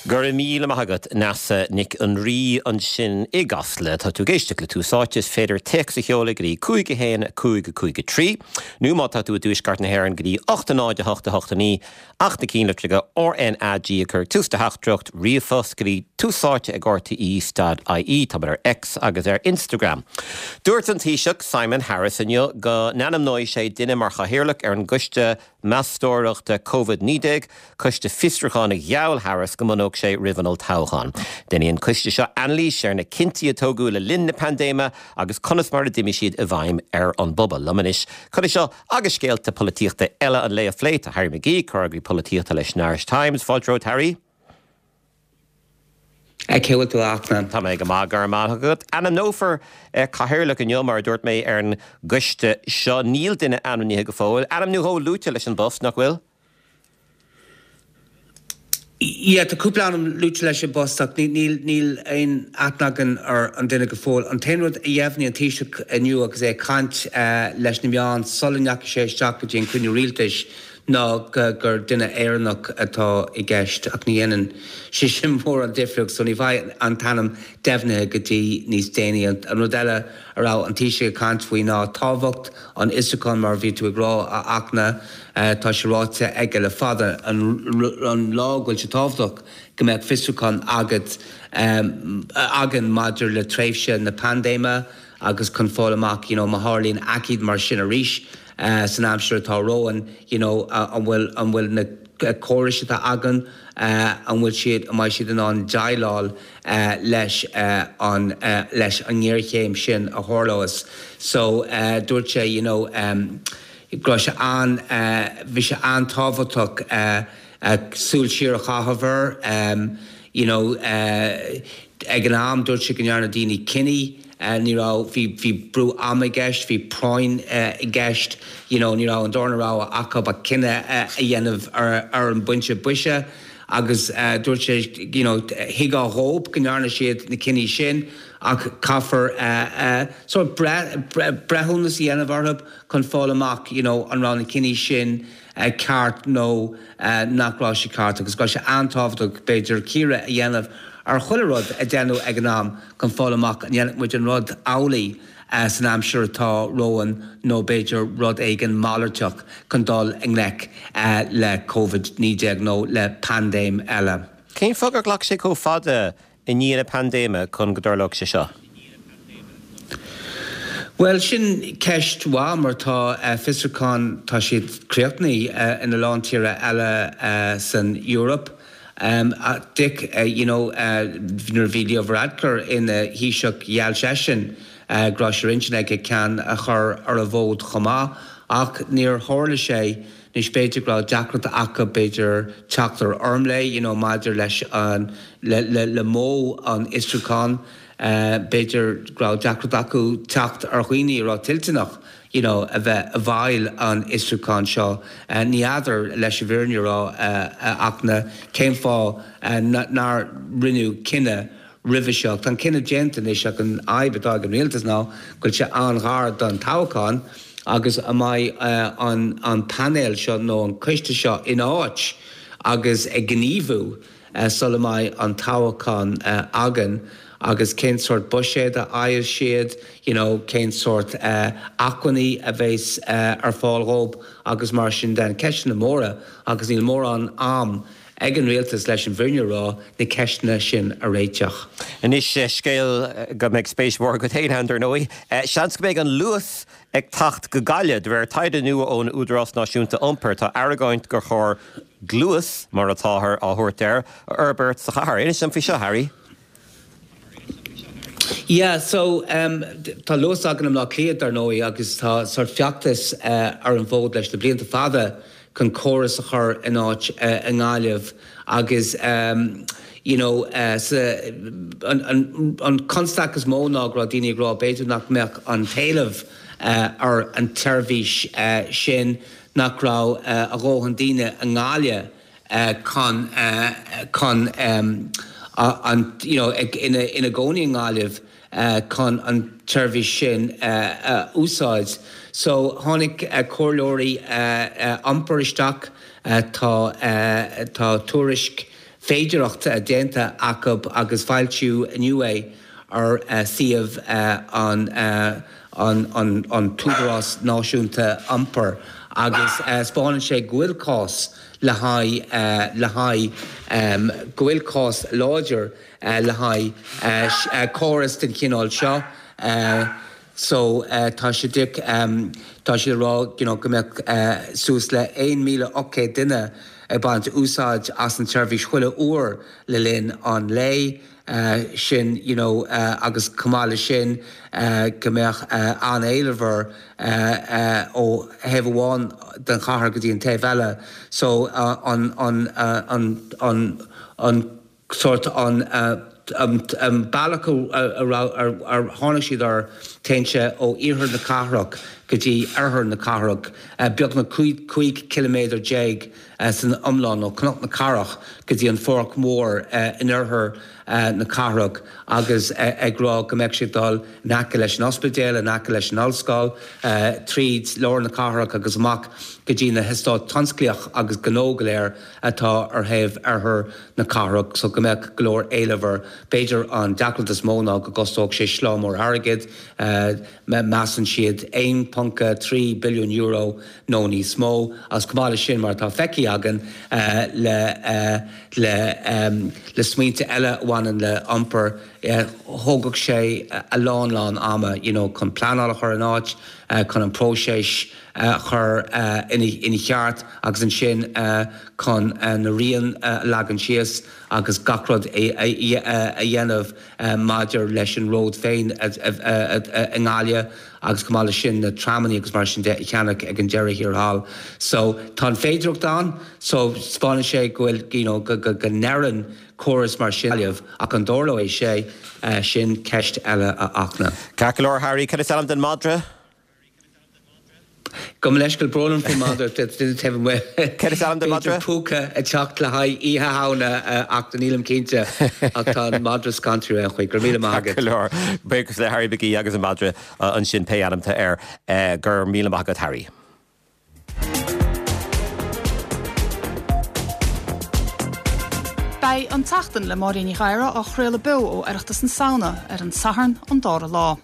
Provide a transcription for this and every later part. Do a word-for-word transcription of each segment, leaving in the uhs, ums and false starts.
Go raibh míle maith agat Neasa Nic an Rí ansin i gCasla tá tú ag éisteacht le Tús Áite is féidir téacs a sheoladh go dtí cúig a haon cúig cúig trí, nó má tá tú i dtuaisceart na hÉireann go dtí ocht a náid a hocht a hocht a naoi ach na cinnlitreacha RNAG a chur tús do theachtaireacht ríomhphost go dtí túsáite ag RTE dot IE tá ar X agus ar Instagram. Dúirt an Taoiseach Simon Harris inniu go n-ainmneoidh sé duine mar chathaoirleach ar an gcoiste meastóireachta Covid naoi déag, coiste fiosrúcháin a gheall Harris go mbunódh sé roimh an olltoghchán. Déanfaidh an coiste seo anailís ar na cinntí a tógadh le linn na paindéime agus conas mar a d'imigh siad i bhfeidhm ar an bpobal. Liom anois chun seo agus scéalta polaitíochta eile an lae a phlé tá Harry McGee, comhfhreagraí polaitíochta leis an Irish Times, Fáilte romhat Harry. Cén chaoi a bhfuil tú a Fhachtna. Tá mé go maith go raibh maith agat. Ainmneofar cathaoirleach inniu mar a dúirt mé ar an gcoiste seo níl duine ainmnithe go fóill. Ainm nó dhó luaite leis an bpost nach bhfuil? Yeah, tá cúpla ainm luaite leis an bpost ach níl níl aon aithne againn ar an duine go fóill. An t-aon rud a dheimhnigh an Taoiseach inniu agus é ag caint leis na meáin sula ndeachaigh sé isteach go dtí an cruinniú rialtais ná gur duine Éireannach atá i gceist ach ní dhéanann sé sin mórán difríocht so ní bheidh an t-ainm deimhnithe go dtí níos déanaí. An rud eile a raibh an Taoiseach ag caint faoi ná tábhacht an fhiosrúcháin mar bhí tú ag rá a Fhachtna tá sé ráite aige le fada an lá go bhfuil sé tábhachtach go mbeadh fiosrúchán agat againn maidir le tréimhse na paindéime agus chun fáil amach you know, má tharlaíonn aicíd mar sin arís san aimsir atá romhainn you know, an bhfuil an bhfuil na córais atá againn an bhfuil siad an mbeidh siad in ann déileáil leis an leis an ngéarchéim sin a tharlós. So dúirt sé you know, um, go raibh sé an bhí sé an-tábhachtach súil siar a chaitheamh air you know, ag an am dúirt sé go ndearna daoine cinntí ní raibh bhí bhí brú ama i gceist, bhí práinn i gceist, you know, ní raibh an darna rogha acu ach cinneadh a dhéanamh ar ar an bpointe boise agus dúirt sé you know, thuigfeá dhóibh go ndearna siad na cinntí sin ach caithfear sort breithiúnas a dhéanamh orthu chun fáil amach you know, an raibh na cinntí sin ceart nó nach raibh sé ceart agus go raibh sé an-tábhachtach b'fhéidir cíoradh a dhéanamh ar chuile rud a déanadh ag an am chun fáil amach an ndéanfadh muid an rud amhlaidh san aimsir atá romhainn nó b'fhéidir rud éigin malartach chun dul i ngleic le Covid naoi déag nó le paindéim eile. Cén fáth gur ghlac sé chomh fada i ndiaidh na paindéime chun go dtarlódh sé seo? Well sin ceist mhaith mar tá fiosrúchán tá siad críochnaithe ina lán tíortha eile san Eoraip. Um, Dick, uh, you know, uh, nuair bhí Leo Varadkar ina Thaoiseach gheall seisean uh, go raibh sé ar intinn aige ceann a chur ar an bhfód chomh maith ach níor tharla sé anois b'fhéidir go raibh deacracht acu b'fhéidir teacht ar fhoirmle, you know, maidir leis an le, le, le modh an fhiosrúcháin, uh, b'fhéidir go raibh deacracht acu teacht ar dhaoine a raibh toilteanach you know, a bheith i bhfeighil an fhiosrúcháin seo. Uh, ní fheadar leis an bhfírinne a rá uh, ach na cén fáth uh, nár rinneadh cinneadh roimhe seo. Tá an cinneadh déanta anois ach an fhadhb atá ag an rialtas ná go bhfuil sé an-ghar don toghchán agus an mbeidh uh, an, an painéal seo nó an coiste seo in áit agus ag gníomhú uh, sula mbeidh an toghchán uh, againn agus cén sórt buiséad a fhaigheann siad, you know, cén sórt uh, acmhainní a bheas uh, ar fáil dhóibh agus mar sin de ceisteanna móra agus níl mórán am ag an rialtas leis an bhfírinne a rá na ceisteanna sin a réiteach. Anois scéal go mbeidh spéis mhór agat féin ann dar ndóigh. Seans go mbeidh an Luas ag teacht go Gaillimh de réir taighde nua ón Údarás Náisiúnta Iompair tá argóint gur chóir Gluas mar atáthar á thabhairt air a fhorbairt sa chathair. Inis dom faoi seo Harry. Yeah, so um, tá Luas againn i mBleá Cliath dar ndóigh agus tá sort feachtas uh, ar an bhfód leis na blianta fada chun córas a chur in áit uh, i nGaillimh agus um, you know, uh, sa, an, an, an constaic is mó ná go raibh daoine ag rá b'fhéidir nach mbeadh an t-éileamh uh, ar an tseirbhís uh, sin nach raibh uh, a dhóthain daoine i nGaillimh uh, chun uh, chun um, an you know, ag, ina, ina gcónaí i nGaillimh uh, chun an tseirbhís sin uh, uh, úsáid. So tháinig uh, comhairleoirí uh, uh, iompair isteach uh, tá uh, tá tuairisc féidearthacht déanta acu agus foilsíodh inniu é ar suíomh an an an tÚdarás Náisiúnta Iompair agus 'spáineann sé go bhfuil cás le haghaidh le haghaidh go bhfuil cás láidir le haghaidh córas den chineál seo. So tá sé tá sé rá you know, go mbeadh suas le aon míle ocht gcéad duine ag baint úsáid as an tseirbhís chuile uair le linn an lae sin you know, agus chomh maith leis sin go mbeadh an-éileamh air ó thaobh amháin den chathair go dtí an taobh eile. So an an an an an sort an an bealach ar tháinig siad air téann sé ó iarthar na cathrach go dtí oirthear na cathrach beagnach cúig ciliméadar déag san iomlán ó Cnoc na Cathrach go dtí an Pháirc Mhór in oirthear na cathrach agus ag rá go mbeadh sé dul in aice leis an ospidéal, in aice leis an ollscoil, tríd lár na cathrach agus amach go dtí na heastáit tionsclaíoch agus gnó go léir atá ar thaobh oirthear na cathrach so go mbeadh go leor éileamh air. B'fhéidir an deacracht is mó ná go gcostódh sé schlá mór airgid, measann siad aon ponc trí billiún euro nó níos mó agus chomh maith leis sin mar atá feicthe againn le le le smaointe eile a bhaineann le iompar thógfadh sé a lán lán ama you know, chun pleanáil a chur in áit, chun an próiseas a chur ina cheart agus ansin chun na rian a leagan síos agus gach rud a dhéanamh maidir leis an ród féin i nGaillimh agus chomh maith leis sin na tramanna agus mar sin de a cheannach ag an deireadh thiar thall. So tá an féidearthacht ann, so 'spáineann sé go bhfuil you know, go, go, go n-oireann córas mar sin ach an dtarlóidh sé sin ceist eile a Fhachtna. Ceart go leor Harry, cad is ainm don madra? Gabh mo leithscéal brón faoin madra taobh amuigh. Cad is ainm don madra? Púca ag teacht le haghaidh Oíche Shamhna ach nílim cinnte ach tá an madra scanraithe ar aon chaoi, go raibh míle maith agat. Go leor buíochas le Harry McGee agus an madra ansin pé ainm atá air go raibh míle maith agat Harry. Beidh an tseachtain le Máirín Ní Ghadhra á chraoladh beo ó Oireachtas na Samhna ar an Satharn an dara lá.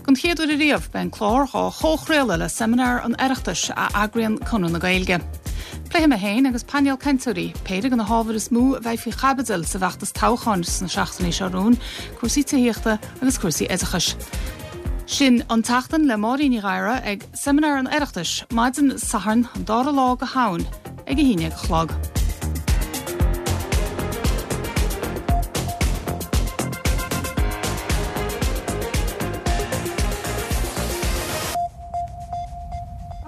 Don chéad uair riamh beidh an clár á chomhchraoladh le seimineár an Oireachtais a eagraíonn Conradh na Gaeilge. Pléifidh mé féin agus painéal cainteoirí péire de na hábhair is mó a bheidh faoi chaibidil sa bhfeachtas toghcháin sna seachtainí seo romhainn, cúrsaí tithíochta agus cúrsaí oideachais. Sin an tseachtain le Máirín Ní Ghadhra ag seimineár an Oireachtais, maidin Sathairn an dara lá de Shamhain ag a haon déag a chlog.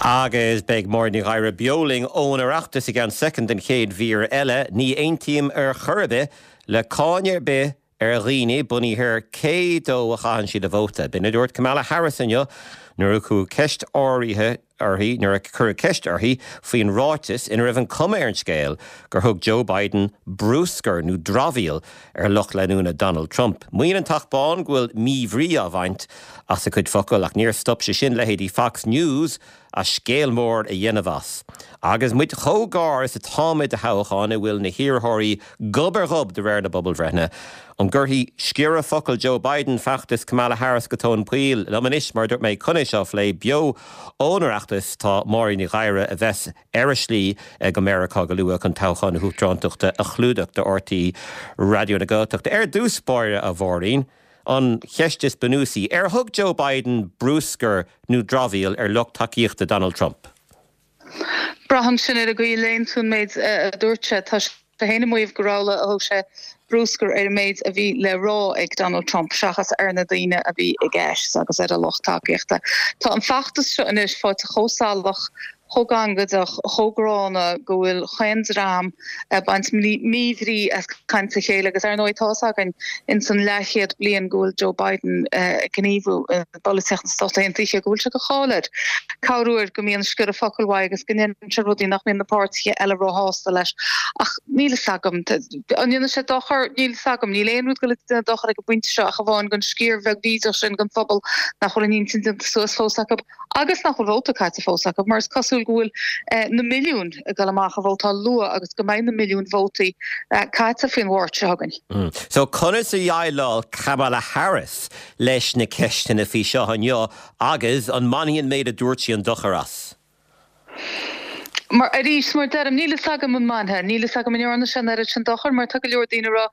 Agus beidh Máirín Ní Ghadhra beo linn ón Oireachtas i gceann soicind don chéad mhír eile, ní aontaím ar chor ar bith le cáin ar bith ar dhaoine bunaithe ar cé dó a chaitheann siad a vóta. B'in a dúirt Kamala Harris inniu nuair a cuireadh ceist áirithe uirthi nuair a cuireadh ceist uirthi faoin ráiteas ina raibh an cuma ar an scéal gur thug Joe Biden bruscar nó dramhaíl ar lucht leanúna Donald Trump. Maíonn an Teach Bán go bhfuil míbhrí á bhaint as a cuid focal ach níor stop sé sin leithéidí Fox News as scéal mór a dhéanamh as. Agus muid chomh gar is atáimid do thoghchán a bhfuil na hiarrthóirí gob ar ghob de réir na bpobalbhreitheanna. An gcuirfidh sciorradh focal Joe Biden feachtas Kamala Harris go tóin poill liom anois mar dúirt mé chun é seo a phlé beo ón Oireachtas tá Máirín Ní Ghadhra a bheas ar a slí go Meiriceá go luath chun toghchán na huachtarántachta a chlúdach do RTÉ Raidió na Gaeltachta. Ar dtús báire a Mháirín, an cheist is bunúsaí ar thug Joe Biden bruscar nó dramhaíl ar lucht tacaíochta Donald Trump. Braitheann sin ar an gcaoi a léann tú an méid a dúirt sé tá sé féin ag maíomh gur amhlaidh a thug sé bruscar ar an méid a bhí le rá ag Donald Trump seachas ar na daoine a bhí i gceist agus ar a lucht tacaíochta. Tá an feachtas seo anois faighte chomh salach, chomh gangaideach, chomh gránna go bhfuil chaon dream ag baint míbhrí as caint a chéile agus ar ndóigh tá fhios againn ins an leathchéad bliain go bhfuil Joe Biden ag gníomhú i bpolaitíocht na Stát Aontaithe go bhfuil sé de cháil air corruair go mbíonn sciorradh focal uaidh agus go ndéanann sé rudaí nach mbíonn na páirtithe eile róshásta leis. Ach níl fhios agam. An ndéanfaidh sé dochar? Níl fhios agam. Níl aon rud ag goil ag déanamh dochar ag an bpointe seo ach amháin don sciar bheag bhídeach sin den phobal nach bhfuil a n-intinn déanta suas fós acu agus nach bhfuil vóta caite fós acu mar is cosúil súil go bhfuil na milliúin ag dul amach a vótáil luath agus go mbeidh na milliúin vótaí caite faoin Mháirt seo chugainn. So conas a dhéileáil Kamala Harris leis na ceisteanna faoi seo inniu agus an mbainfidh an méid a dúirt sí an dochar as? Mar arís, mar deirim, níl fhios agam an mbainfidh, níl fhios agam an ndearna sé an oiread sin dochair mar tá go leor daoine ag rá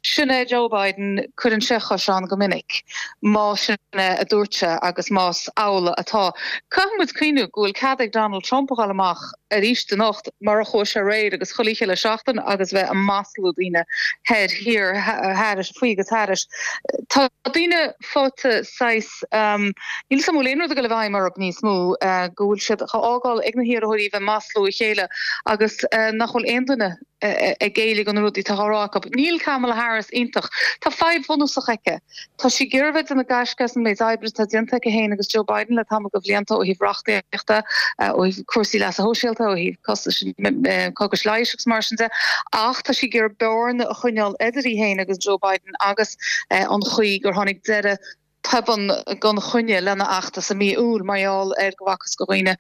sin é Joe Biden, cuireann sé a chois ann go minic, más sin é a dúirt sé agus más amhlaidh atá. Caithfidh muid cuimhniú go bhfuil cead ag Donald Trump a dhul amach arís anocht mar a chuaigh sé aréir agus chuile oíche le seachtain agus bheith ag maslú daoine thoir, thiar, thairis, faoi agus thairis. Tá daoine faighte saghas, níl 'fhios a'm an bhfuil aon rud ag dul i bhfeidhm orthu níos mó, go bhfuil siad á fhágáil ag na hiarrthóirí bheith ag maslú a chéile agus nach bhfuil aon duine ag géilleadh do na rudaí atá á rá acu. Níl Kamala Harris iontach. Tá fadhb bhunúsach aici. Tá sí ag iarraidh a bheith ag déanamh gaisce as an méid oibre atá déanta aici féin agus Joe Biden le tamall de bhlianta ó thaobh reachtaíochta, ó thaobh cúrsaí leasa shóisialta, ó thaobh costais cógais leighis agus mar sin de, ach tá sí ag iarraidh bearna a choinneáil idir í féin agus Joe Biden agus an chaoi gur tháinig deireadh tobann gan choinne lena fheachtas i mí Iúil mar gheall ar go bhfacthas do dhaoine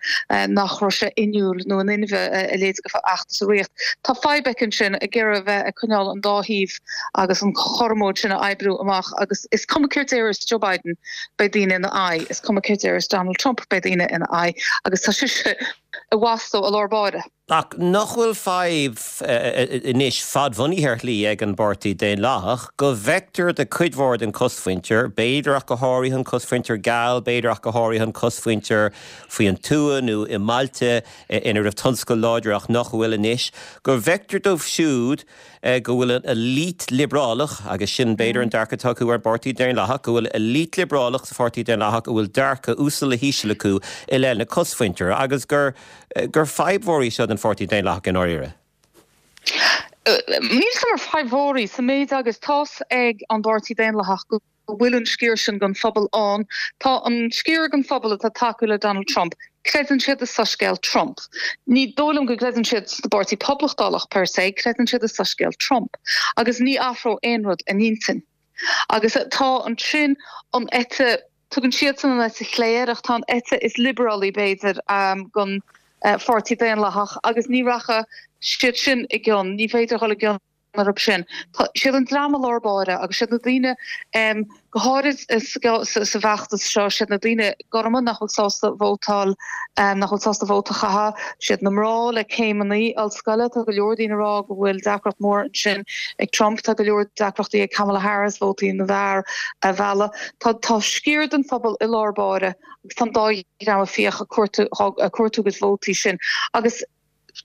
nach raibh sé inniúil nó in inmhe a leithéid de fheachtas a rith. Tá fadhb aici ansin ag iarraidh a bheith ag coinneáil an dá thaobh agus an chothromóid sin a oibriú amach agus is cuma céard a déarfas Joe Biden beidh daoine ina aghaidh, is cuma céard a déarfas Donald Trump beidh daoine ina aghaidh agus tá sise i bhfastó i lár báire. Ach nach bhfuil fadhb anois fadbhunaithe ar shlí ag an bPáirtí Daonlathach go bhfeictear do chuid mhór den chosmhuintir, b'fhéidir ach go háirithe an cosmhuintir geal, b'fhéidir ach go háirithe an cosmhuintir faoin tuath nó i mbailte ina raibh tionscal láidir ach nach bhfuil anois, go bhfeictear dóibh siúd go bhfuil an elite liobrálach, agus sin b'fhéidir an dearcadh atá acu ar an bPáirtí Daonlathach, go bhfuil elite liobrálach sa Pháirtí Daonlathach a bhfuil dearcadh uasal le híseal acu i leith na cosmhuintire agus gur gur fadhb mhór í seo don Pháirtí Daonlathach i ndáiríre. Níl 'fhios a'm ar fadhb mhór í sa méid agus tá's ag an bPáirtí Daonlathach go bhfuil an sciar sin den phobal ann. Tá an sciar den phobal atá ag tacú le Donald Trump, creideann siad i soiscéal Trump. Ní dóigh liom go gcreideann siad sa bPáirtí Poblachtálach per se, creideann siad i soiscéal Trump. Agus ní athródh aon rud a n-intinn. Agus tá ansin an eite, tugann siadsan an eite chlé air, ach tá an eite is liobrálai b'fhéidir den Pháirtí Daonlathach agus ní rachaidh siad sin i gcion, ní féidir dhul i gcion orthu sin. Tá siad an dream i lár báire agus siad na daoine, go háirid sa bhfeachtas seo, siad na daoine gorma nach bhfuil sásta vótáil, nach bhfuil sásta vóta a chaitheamh, siad na mná le céimeanna ollscoile, tá go leor daoine ag rá go bhfuil deacracht mór ansin ag Trump, tá go leor deacrachtaí ag Kamala Harris vótaí na bhfear a mhealladh. Tá tá sciar den phobal i lár báire agus tá an dá dhream ag fiach ag cuartú ag cuartú a gcuid vótaí sin agus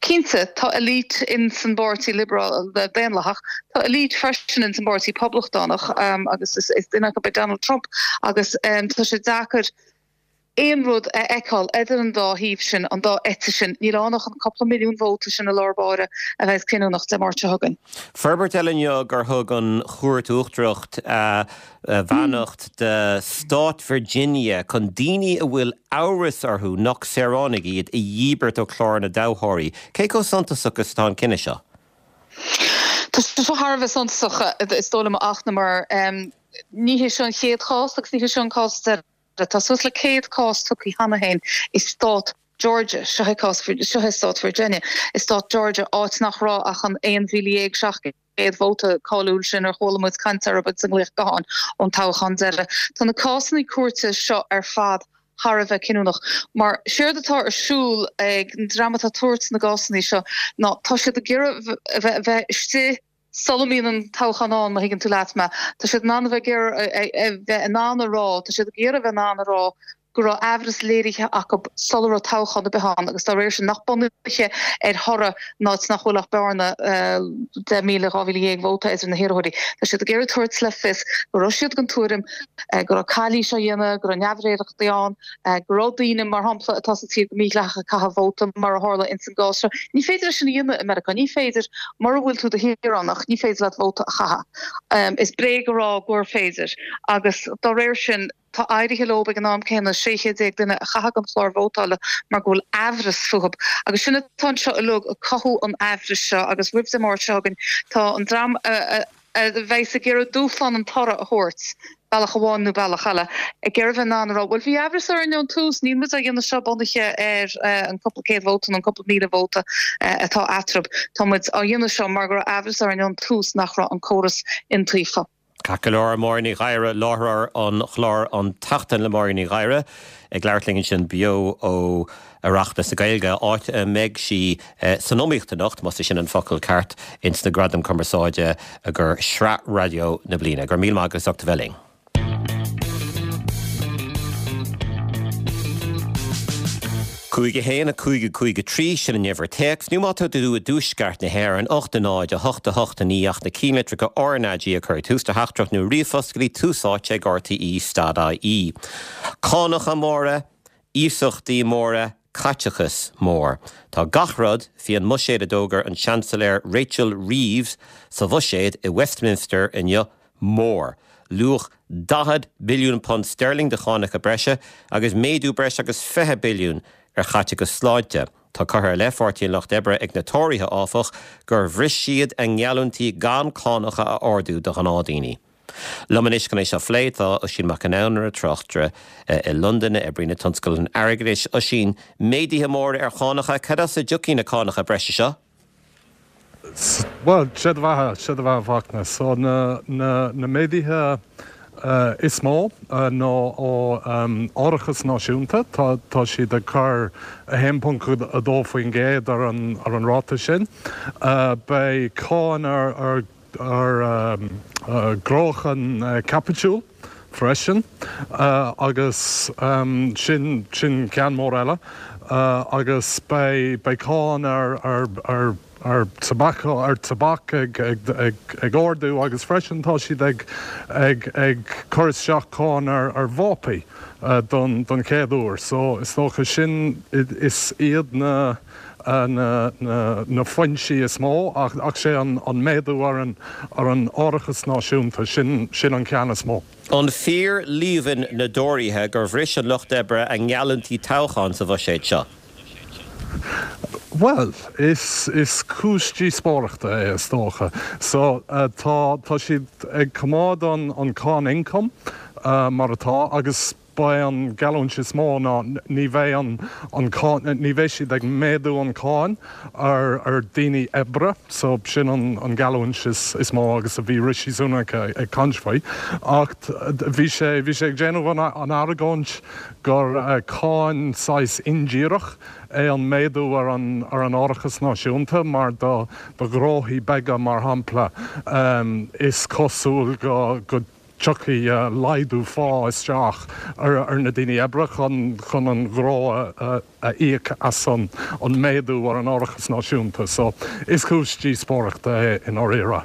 Cinnte, tá elite in san bPáirtí Liobrál Daonlathach, tá elite freisin in san bPáirtí Poblachtánach agus is duine acu é Donald Trump agus tá sé deacair aon rud a fheiceáil idir an dá thaobh sin, an dá eite sin. Níl ann ach an cúpla milliún vóta sin i lár báire a bheas cinniúnach Dé Máirt seo chugainn. Forbairt eile inniu gur thug an Chúirt Uachtarach beannacht do Stát Virginia chun daoine a bhfuil amhras orthu nach saoránaigh iad a dhíbirt ó chlár na dtoghthóirí. Cé chomh suntasach is atá an cinneadh seo? Tá sé seo thar a bheith suntasach is dóigh liom a Fhachtna mar ní hé seo an chéad chás agus ní hé seo an cás deireadh. Tá suas le céad cás tugtha cheana féin i stát Georgia, seo é cás, seo é stát Virginia, i stát Georgia, áit nach raibh ach an aon mhíle dhéag seacht gcéad vóta cáiliúil sin ar chuala muid caint orthu sa nglaoch gutháin ón toghchán deiridh. Tá na cásanna cúirte seo ar fad thar a bheith cinniúnach mar séard atá ar siúl ag an dream atá ag tabhairt na gcásanna seo ná tá siad ag iarraidh a bheith istigh sula mbíonn an toghchán ann, má thuigeann tú leat mé. Tá siad in ann a bheith ag iarraidh a bheith in ann a rá, tá siad ag iarraidh a bheith in ann a rá go raibh aimhreas léirithe acu sula raibh toghchán ar bith ann agus dá réir sin nach bunaithe ar thoradh in áit nach bhfuil ach bearna deich míle, dhá mhíle dhéag vóta idir na hiarrthóirí. Tá siad ag iarraidh tabhairt le fios go raibh siad den tuairim go raibh calaois á dhéanamh, go raibh neamhréireachtaí ann, go raibh daoine, mar shampla, atá sa tír go mídhleathach ag caitheamh vóta, mar a tharla ins an gcás seo. Ní féidir é sin a dhéanamh i Meiriceá. Ní féidir, mura bhfuil tú i do shaoránach, ní féidir leat vóta a chaitheamh. Is bréag a rá gur féidir agus dá réir sin, tá éirithe leo ag an am céanna sé chéad déag duine a chaitheamh den chlár vótála mar go bhfuil aimhreas fúthu. Agus sin atá anseo uilig, ag cothú an aimhris seo agus roimh Dé Máirt seo chugainn, tá an dream a bheas ag iarraidh dúshlán an toradh a thabhairt, bealach amháin nó bealach eile ag iarraidh bheith in ann a rá, bhuel bhí amhras orainn ón tús, níl muid á dhéanamh seo bunaithe ar an cúpla céad vóta nó an cúpla míle vóta atá eatarthu, tá muid á dhéanamh seo mar go raibh amhras orainn ón tús nach raibh an córas iontaofa. Ceart go leor, Máire Ní Ghadhra, láithreoir an chláir An tSeachtain le Máire Ní Ghadhra, ag labhairt linn ansin beo ó Oireachtas na Gaeilge, áit a mbeidh sí san iomaíocht anocht, más é sin an focal ceart, ins na Gradaim Cumarsáide do Shraith Raidió na Bliana. Go raibh míle maith agat as ucht a bheith linn. Cúig a haon, a cúig, a cúig, a trí, sin an uimhir téacs, nó má tá tú i dtuaisceart na hÉireann, ocht a náid, a hocht, a hocht, a naoi ach na cinnlitreacha RnaG a chur ag tús do theachtaireacht nó ríomhphost go dtí Tús Áite ag RTÉ stad IE. Cánacha móra, iasachtaí móra, caiteachas mór. Tá gach rud faoi an mbuiséad a d'fhógair an Seansailéir Rachel Reeves sa bhuiséad i Westminster inniu mór. Luach daichead billiún punt sterling de chánacha breise agus méadú breis agus fiche billiún ar chaiteachas sláinte. Tá curtha i leith Pháirtí an Lucht Oibre ag na Tóraithe, áfach, gur bhris siad a ngeallúintí gan cánacha a ardú do ghnáthdhaoine. Liom anois chun é seo a phlé tá Oisín Mac Con Iomaire, tráchtaire i Londain, a oibríonn i dtionscal an airgeadais. Oisín, méaduithe móra ar chánacha, cad as a dtiocfaidh na cánacha breise seo? Bhuel, sé do bheatha, sé do bheatha a Fhachtna. So na, na, na méaduithe is mó ná ó árachas náisiúnta, tá, tá siad ag cur a haon ponc a dó faoin gcéad ar an, ar an ráta sin. Beidh cáin ar, ar, ar ghnóchan caipitiúil freisin agus sin, sin ceann mór eile agus beidh, beidh cáin ar, ar, ar, ar tobac, ar tobac ag, ag, ag, ag ardú agus freisin tá siad ag, ag, ag cur isteach cáin ar, ar vápaí don, don chéad uair. So is dócha sin, is iad na, na, na, na foinsí is mó ach, ach sé an, an méadú ar an, ar an árachas náisiúnta, sin, sin an ceann is mó. An fíor líomhain na dTóraithe gur bhris an Lucht Oibre a ngeallúintí toghcháin sa bhuiséad seo? Bhuel, is, is cúis díospóireachta é is dócha. So, tá, tá siad ag coimeád an, an cáin ioncaim mar atá agus ba é an geallúint is mó ná ní bheidh an, an cáin, ní bheidh siad ag méadú an cáin ar, ar daoine oibre, so sin an, an geallúint is, is mó agus a bhí Rishi Sunak ag caint faoi. Ach bhí sé, bhí sé ag déanamh an, an argóint gur cáin saghas indíreach é an méadú ar an, ar an árachas náisiúnta mar do, do ghnóthaí beaga mar shampla is cosúil go, go dtiocfaidh laghdú phá isteach ar na daoine oibre chun chun an gnó a a íoc as an an méadú ar an árachas náisiúnta. So is cúis díospóireachta é i ndáiríre.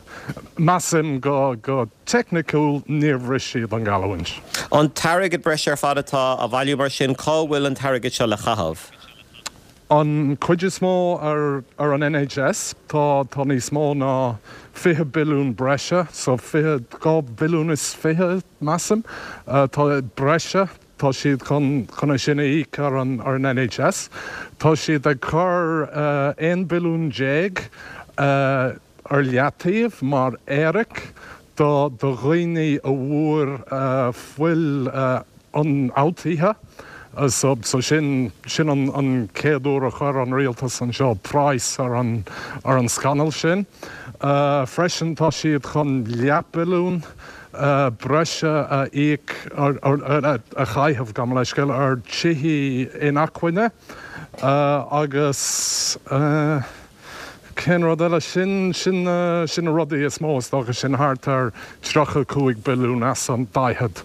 Measaim go go teicniciúil níor bhris siad an gheallúint. An t-airgead breise ar fad atá á bhailiú mar sin, cá bhfuil an t-airgead seo le caitheamh? An chuid is mó ar ar an NHS, tá tá níos mó ná fiche billiún breise, so fiche, dhá bhilliún is fiche measaim, tá breise, tá siad chun chun é sin a íoc ar an ar an NHS. Tá siad ag cur aon billiún déag ar leataobh mar éiric do do dhaoine a bhfuair fuil ionfhabhtaithe. So so sin sin an an chéad uair a chuir an rialtas anseo praghas ar an ar an scannal sin. Freisin tá siad chun leathbhilliún breise a íoc a chaitheamh, gabh mo leithscéal, ar tithe inacmhainne agus. Cén rud eile? Sin, sin, sin na rudaí is mó, is dócha, sin thart ar tríocha cúig billiún as an daichead,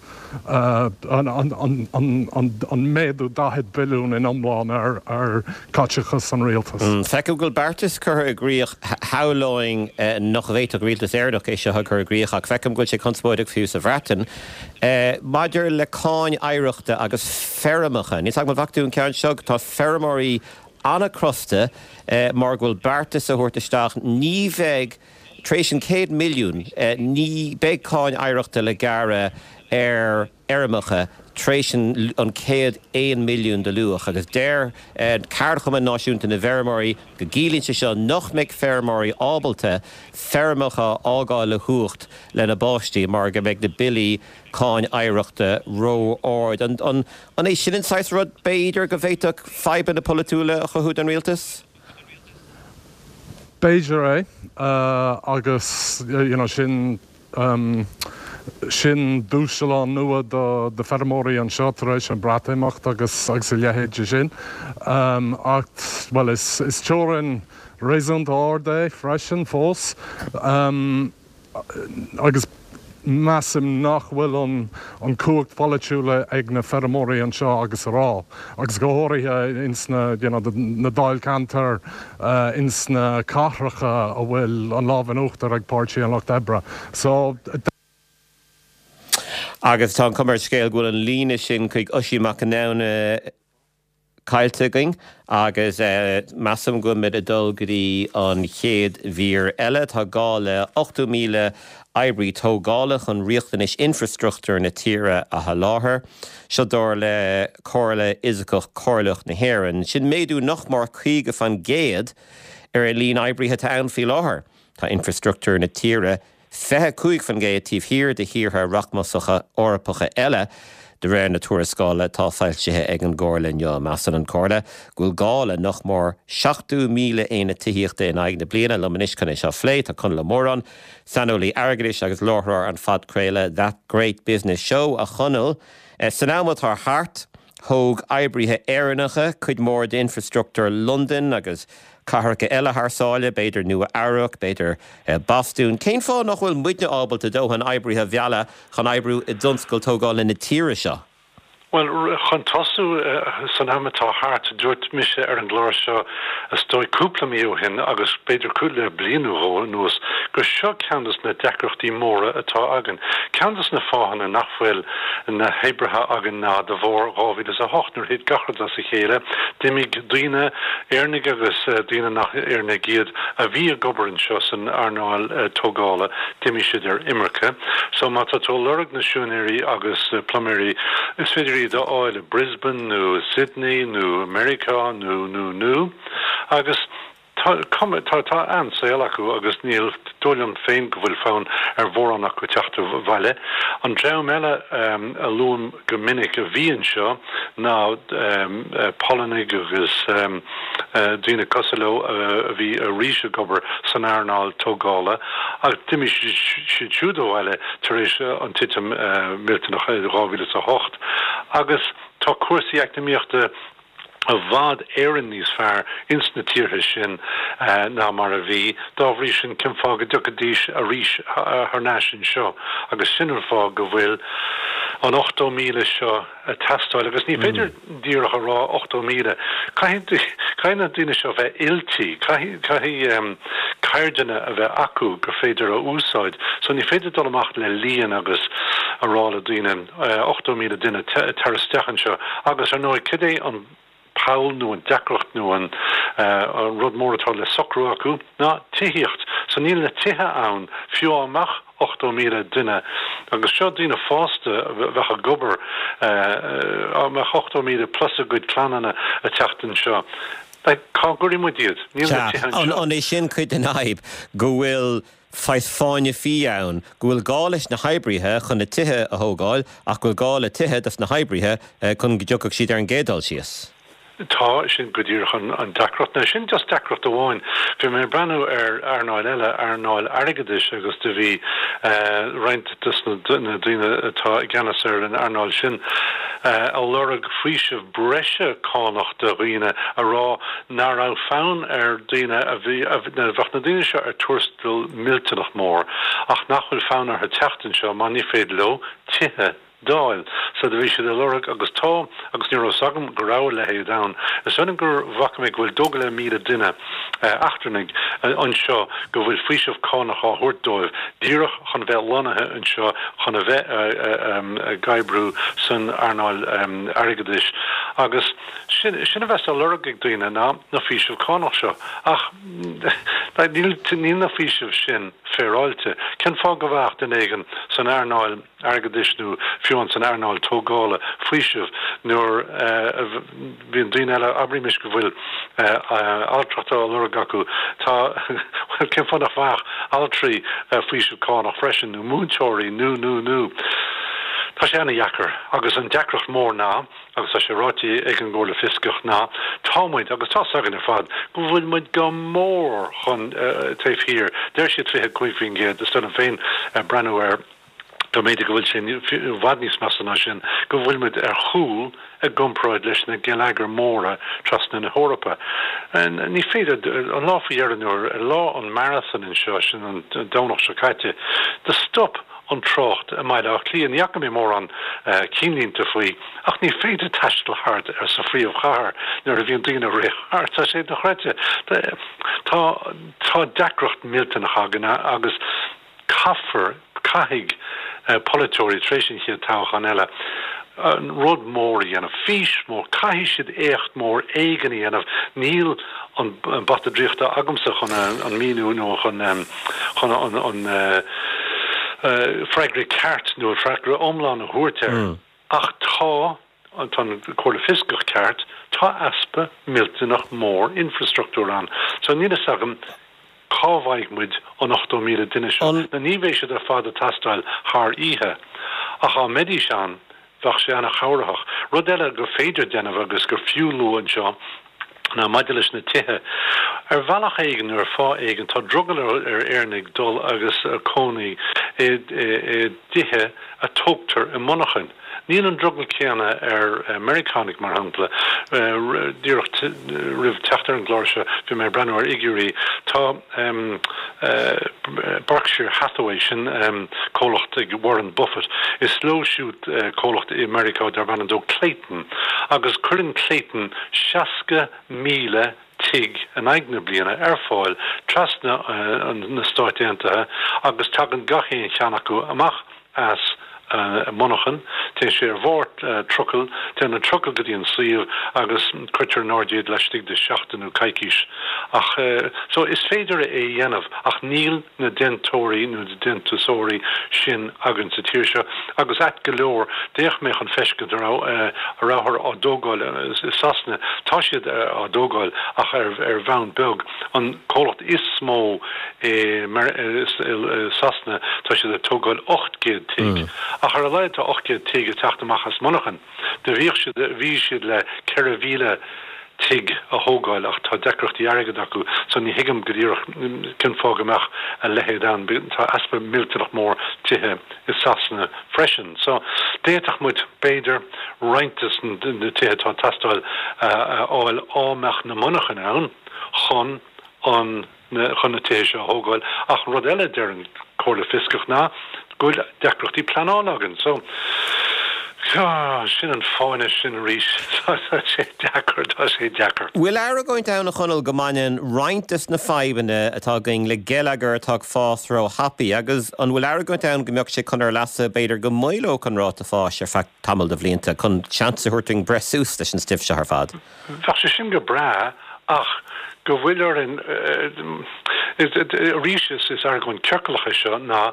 an, an, an, an, an, an méadú daichead billiún in iomlán ar, ar caiteachas an rialtais. Feicim go bhfuil beartas curtha i gcrích, shamhlóinn nach bhféadfadh rialtas Éireannach é seo a chur i gcrích ach feicim go bhfuil sé conspóideach fiú sa Bhreatain, maidir le cáin oidhreachta agus feirmeacha. Níl 's agam an bhfaca tú an ceann seo, tá feirmeoirí an-chrosta mar go bhfuil beartas a thabhairt isteach, ní bheidh, tar éis an céad milliún, ní beidh cáin oidhreachta le gearradh ar fheirmeacha tar éis an céad aon milliún de luach agus deir Ceardchumann Náisiúnta na bhFeirmeoirí go gciallaíonn sé seo nach mbeidh feirmeoirí ábalta feirmeacha a fhágáil le huacht lena bpáistí mar go mbeidh na billí cáin oidhreachta ró-ard. An an é sin an saghas rud b'fhéidir go bhféadfadh fadhbanna polaitiúla a chothú don rialtas? B'fhéidir é uh, agus you know, sin um, sin dúshlán nua do do feirmeoirí anseo tar éis an Breatimeacht agus agus a leithéid sin. Um, ach well is, is teorainn réasúnta ard é freisin fós. Um, agus measaim nach bhfuil an an cumhacht pholaitiúil ag na feirmeoirí anseo agus ará. agus go háirithe ins na you know, na dáilcheantair uh, ins na cathracha a bhfuil an lámh in uachtar ag Páirtí an Lucht Oibre. So Agus tá cuma ar an scéal go bhfuil an líne sin chuig Oisín Mac Conamhna caillte againn agus eh, measaim go mbeidh ag dul go dtí an chéad mhír eile tá gá le ochtó míle oibrí tógála chun riachtanais infrastruchtúr na tíre a sholáthar. Seo dar le Comhairle Fhisiceach Chomhairleach na hÉireann. Sin méadú nach mór caoga faoin gcéad ar an líon oibrithe atá ann faoi láthair. Tá infrastruchtúr na tíre fiche cúig faoin gcéad taobh thiar de thíortha rachmasacha Eorpacha eile, de réir na tuarascála atá foilsithe ag an gComhairle inniu. Measann an Chomhairle go bhfuil gá le nach mór seachtó míle aonad tithíochta in aghaidh na bliana liom anois chun é seo a phlé tá Conall Ó Móráin, saineolaí airgeadais agus láithreoir an phodchraoladh That Great Business Show a Chonaill. San am atá thart, thóg oibrithe Éireannacha cuid mhór d'infrastruchtúr Londain agus cathracha eile thar sáile, b'fhéidir Nua Eabhrac, b'fhéidir Bostún. Cén fáth nach bhfuil muidne ábalta dóthain oibrithe a mhealladh chun oibriú i dtionscal tógála na tíre seo? Bhuel, chun tosú san am atá thart, dúirt mise ar an gclár seo is dóigh cúpla mí ó shin agus b'fhéidir cúpla bliain nó dhó anuas gur seo ceann de na deacrachtaí móra atá againn. Ceann de na fáthanna nach bhfuil na hoibrithe againn ná de bharr dhá mhíle is a hocht nuair a thit gach rud as a chéile, d'imigh daoine, Éireannaigh agus daoine nach Éireannaigh iad, a bhí ag obair anseo san earnáil tógála, d'imigh siad ar imirce. So má tá tú ag lorg na siúinéirí agus pluiméirí, is féidir iad a fháil i Brisbane nó i Sydney nó Meiriceá nó nó nó agus tá tá tá an-saol acu agus níl dóigh liom féin go bhfuil fonn ar mhórán acu teacht abhaile. An dream eile um, a luaim go minic a bhí anseo ná um, Polannaigh agus um, uh, daoine cosúil leo uh, a bhí arís ag obair san earnáil tógála ach d'imigh siad siúd abhaile tar éis an titim uh, millteanach dhá mhíle is a hocht agus tá cúrsaí eacnamaíochta i bhfad Éireann níos fearr ins na tíortha sin uh, ná mar a bhí, dá bhrí sin cén fáth go dtiocfaidís arís thar n-ais anseo agus sin an fáth go bhfuil an ochtó míle seo ag teastáil agus ní féidir mm. díreach a rá ochtó míle. Caithfidh na daoine seo bheith oilte, caithfidh um, ceirdeanna a bheith acu gur féidir a úsáid, so ní féidir dul amach le líon agus a rá le daoine uh, ochtó míle duine tar isteach anseo agus ar ndóigh cad é an poll nó an deacracht nó an uh, rud mór atá le socrú acu ná tithíocht. So níl na tithe ann fiú amach ochtó míle duine agus seo daoine fásta bheith ag obair uh, mbeadh ochtó míle plus a gcuid clannanna ag teacht anseo. Cá gcuirfidh muid iad An é sin cuid den fhadhb go bhfuil saghas fáinne fí ann, go bhfuil gá leis na hoibrithe chun na tithe a thógáil ach go bhfuil gá le tithe dos na hoibrithe chun go dtiocfadh siad ar an gcéad dul síos. Tá sin go díreach an, an deacracht ná sin just deacracht amháin. Bhí mé ag breathnú ar earnáil eile earnáil airgeadais agus do bhí uh, roinnt des na, na daoine atá i gceannas ar an earnáil sin uh, ag lorg faoiseamh breise cánach do dhaoine a rá nach raibh fonn ar daoine a bhí a bhí- na bheadh na daoine seo ar tuarastal millteanach mór ach nach bhfuil fonn orthu teacht anseo má ní féidir leo tithe d'fháil. So do bhí siad ag lorg agus tá agus ní raibh a fhios agam go raibh a leithéid ann. Is ionann gur bhfaca mé go bhfuil dó go leith míle duine eachtrannaigh anseo go bhfuil faoiseamh cánach á thabhairt dóibh díreach chun bheith lonnaithe anseo chun a bheith ag oibriú san earnáil airgeadais agus sin sin a bheas á lorg ag daoine ná na faoisimh cánach seo ach níl níl na faoisimh sin féaráilte. Cén fáth go bhfaigheadh duine éigin san earnáil airgeadais nó fiú san earnáil tógála faoiseamh nuair a bhíonn daoine eile, abraimis go bhfuil altracht á lorg acu, tá, bhuel, cén fáth nach bhfaigheadh altraí faoiseamh cánach freisin, nó múinteoirí, nó, nó, nó. Tá sé ana-dheacair agus an deacracht mór ná, agus tá sé ráite ag an gComhairle Fioscach ná, tá muid, agus tá's againn ar fad, go bhfuil muid go mór chun taobh thiar, deir siad fiche cúig faoin gcéad, is dóigh liom féin breathnú air go mb'fhéidir go bhfuil sé i bhfad níos measa ná sin, go bhfuil muid ar chúl i gcomparáid leis na geilleagair mhóra trasna na hEorpa. Ní féidir, an lá faoi dheireadh nuair, ar lá an marathon anseo, sin an Domhnach seo caite, do stop an trácht i mBaile Átha Cliath. Ní fhaca mé mórán cinnlínte faoi, ach ní féidir taisteal thart ar sa phríomhchathair nuair a bhíonn daoine ag rith thart. Tá sé dochreidte. Tá tá deacracht millteanach againn agus caithfear, caithfidh polaiteoirí tar éis an chéad toghchán eile, rud mór a dhéanamh, fís mhór, caithfidh siad éacht mór éigin a dhéanamh, níl an bata draíochta agamsa chun an míniú nó chun chun an freagra ceart nó an freagra iomlán a thabhairt air, ach tá tá an Chomhairle Fioscach ceart, tá easpa millteanach mór infreastruchtúir ann. So níl fhios agam cá bhfaighidh muid an ochtó míle duine seo. Now ní bheidh siad ar fad ag teastáil thar oíche, ach dá mbeidís ann, bheadh sé ana-chabhraitheach. Rud eile gur féidir déanamh agus gur fiú lua anseo ná maidir leis na tithe. Ar bhealach éigin nó ar fáth éigin tá drogall ar Éireannaigh dul agus cónaí i dtithe a tógtar i monarchain. Níl an drogall céanna ar Meiriceánaigh, mar shampla. Díreach roimh teacht ar an gclár seo bhí mé ag breathnú ar fhigiúirí. Tá Berkshire Hathaway, sin comhlacht ag Warren Buffett, is leo siúd comhlacht i Meiriceá darb ainm dó Clayton agus cuireann Clayton seasca míle tigh in aghaidh na bliana ar fáil trasna na Stáit Aontaithe agus tagann gach aon cheann acu amach as monarchan, téann sé ar bharr trucail, téann an trucail go dtí an suíomh agus cuirtear in airde iad laistigh de sheachtain nó coicís. Ach so is féidir é a dhéanamh ach níl na déantóirí nó na déantúsóirí sin againn sa tír seo agus ait go leor d'fhéach mé chun feiscint an raibh a rabhthar á dtógáil i Sasana, tá siad á dtógáil ach ar ar bhonn beag. An comhlacht is mó i Sasana tá siad ag tógáil ocht gcéad tigh. Ach ar a laghad tá ocht gcéad tigh ag teacht amach as monarchan. Do bhíodh siad, bhí siad le ceithre mhíle tigh a thógáil ach tá deacrachtaí airgid acu so ní thuigim go díreach cén fáth go mbeadh a leithéid ann. Tá easpa millteanach mór tithe i Sasana freisin. So d'fhéadfadh muid, b'fhéidir, roinnt des na tithe atá ag teastáil a fháil á mbeadh na monarchain ann chun an chun na tithe seo a thógáil. Ach rud eile a deir an Chomhairle Fioscach ná go bhfuil deacrachtaí pleanála againn. So, sin an fáinne sin arís. Tá sé deacair, tá sé deacair. Bhfuil argóint ann, a Chonaill, go mbaineann roinnt des na fadhbanna atá againn le geilleagar atá ag fás ró-thapaidh agus an bhfuil argóint ann go mbeadh sé chun ár leasa b'fhéidir go maolódh an ráta fáis ar feadh tamall de bhlianta chun seans a thabhairt dúinn breith suas leis an stuif seo ar fad? Bheadh sé sin go breá ach go bhfuil orainn, arís is argóint ciorclach é seo, ná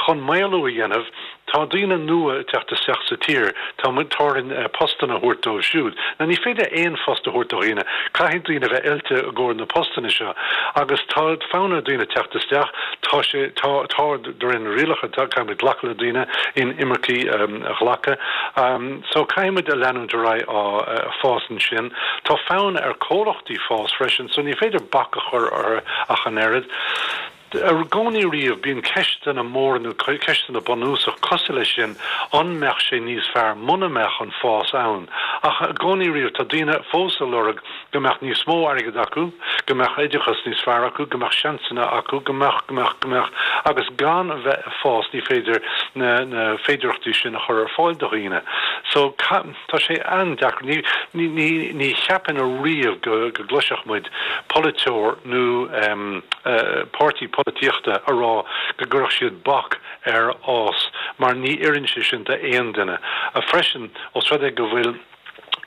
chun maolú a dhéanamh, tá daoine nua ag teacht isteach sa tír, tá tá orainn postanna a thabhairt dóibh siúd. Now ní féidir aon phost a thabhairt do dhaoine, caithfidh daoine a bheith oilte i gcomhair na postanna seo agus tá fonn ar dhaoine teacht isteach, tá sé, tá, tá, de réir na rialacha, caithfidh muid glacadh le daoine, inimircigh a ghlacadh. So caithfidh muid a leanúint ar aghaidh á fás ansin. Tá fonn ar comhlachtaí fás freisin, so ní féidir bac a chur orthu ach an oiread. I gcónaí riamh bíonn ceisteanna móra nó ceisteanna bunúsach cosúil leis sin, an mbeadh sé níos fearr muna mbeadh an fás ann? Ach i gcónaí riamh tá daoine fós ag lorg go mbeadh níos mó airgid acu, go mbeadh oideachas níos fearr acu, go mbeadh seansanna acu, go mbeadh, go mbeadh, go mbeadh, agus gan a bheith ag fás ní féidir na na féidearthachtaí sin a chur ar fáil do dhaoine. So tá sé an-deacair. Ní ní ní ní cheapfainn ariamh go go gcloisfeadh muid polaiteoir nó um, uh, páirtí polaitíochta a rá go gcuirfeadh siad bac ar fhás mar ní oireann sé sin d'aon duine. A freisin os rud é go bhfuil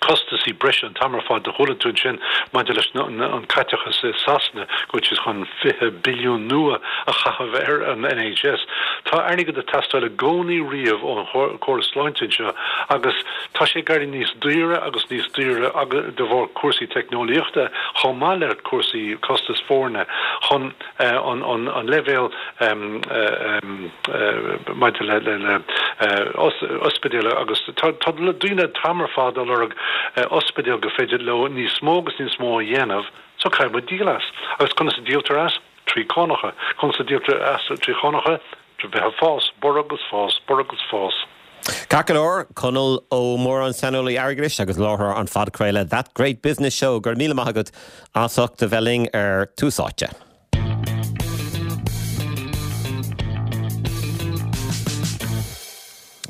costasaí breise an t-am ar fad do chuala tú ansin maidir leis an caiteachas i Sasana go bhfuil siad chun fiche billiún nua a chaitheamh ar an NHS. Tá airgead ag teastáil i gcónaí riamh ón chóras sláinte seo agus tá sé ag éirí níos daoire agus níos daoire de bharr cúrsaí teicneolaíochta chomh maith le cúrsaí costas foirne chun an leibhéal maidir le le ospidéal agus tá daoine an t-am ar fad ag lorg ospidéal go féidir leo níos mó agus níos mó a dhéanamh, so caithfidh muid díol as. Agus conas a díoltar as? Trí cánacha. Conas a díoltar as trí chánacha? Trí bheith ag fás, borradh agus fás, borradh agus fás. Ceart go leor, Conall Ó Móráin, saineolaí airgeadais agus láithreoir an phodchraoladh That Great Business Show, go raibh míle maith agat as ucht a bheith linn ar Tús Áite.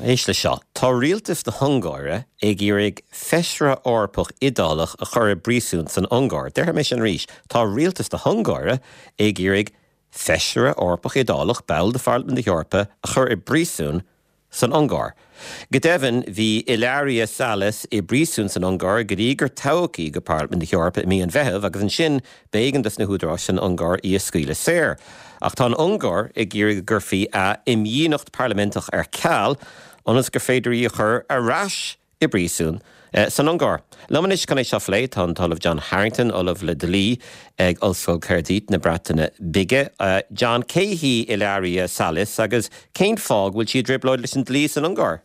Éist le seo, tá rialtas na hUngáire ag iarraidh feisire Eorpach Iodálach a chur i bpríosún san Ungáir. Déarfaidh mé sin arís, tá rialtas na hUngáire ag iarraidh feisire Eorpach Iodálach, ball de Pharlaimint na hEorpa, a chur i bpríosún san Ungáir. Go deimhin, bhí Ilaria Salis i bpríosún san Ungáir go dtí gur toghadh í go Parlaimint na hEorpa i mí an Mheithimh agus ansin b'éigean dos na húdaráis san Ungáir í a scaoileadh saor. Ach tá an Ungáir ag iarraidh go gcuirfí a imdhíonacht parlaiminteach ar ceal ionas gur féidir í a chur ar ais i bpríosún san Ungáir. Liom anois chun é seo a phlé tá an tOllamh John Harrington, Ollamh le Dlí ag Ollscoil Caerdydd na Breataine Bige. John, cé hí Ilaria Salis agus cén fáth go bhfuil sí i dtrioblóid leis an dlí san Ungáir?